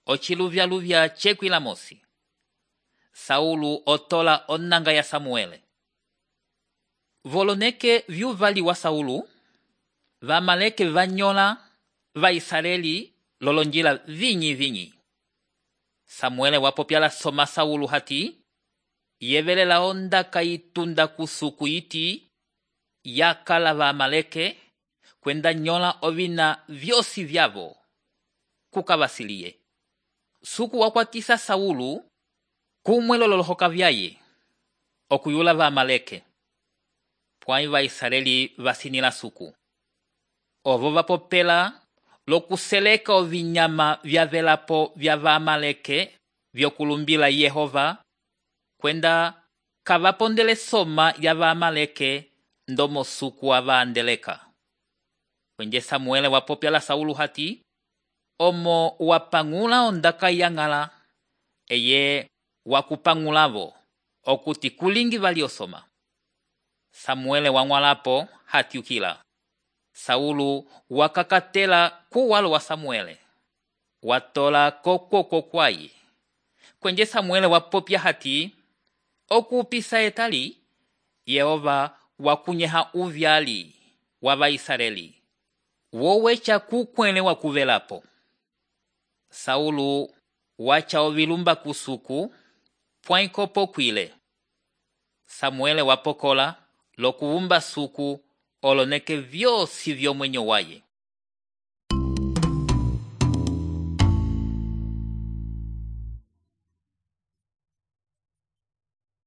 ociluvyaluvya cekwila mosi. Saulu otola onanga ya Samuele. Voloneke vyuvali wa Saulu, vamaleke vanyola va Israeli lolonjila vinyi. Samuele wapopyala soma Saulu hati, yevelela ondaka itunda kusuku iti, yakala vamaleke, kwenda nyola ovina vyosi vyavo, kukavasiliye. Suku wakwatisa Saulu, kumwe lolohoka vyaye, okuyula vamaleke. Pwai va Israeli vasinila suku. Ovo vapopela lokuseleka ovinyama vyavelapo vya vamaleke vyokulumbila Yehova, kwenda kavapondele soma ya vamaleke ndomo suku avaandeleka. Kwenje Samuele wapopyala Saulu hati, omo wapangula ondaka yang'ala, eye wakupangulavo, okuti kulingi valiosoma. Samuele wang'walapo hati ukila. Saulu wakakatela kuwalo wa Samuele, watola kokoko kwaye. Kwenje Samuele wapopya hati, okupisa etali, Yehova wakunyeha uvyali wa Israeli, wowecha kukwele wakuvelapo. Saulu wacha ovilumba kusuku, pwaikopo kwile. Samuele wapokola lokuvumba suku oloneke vyosi vyomwenyo waye.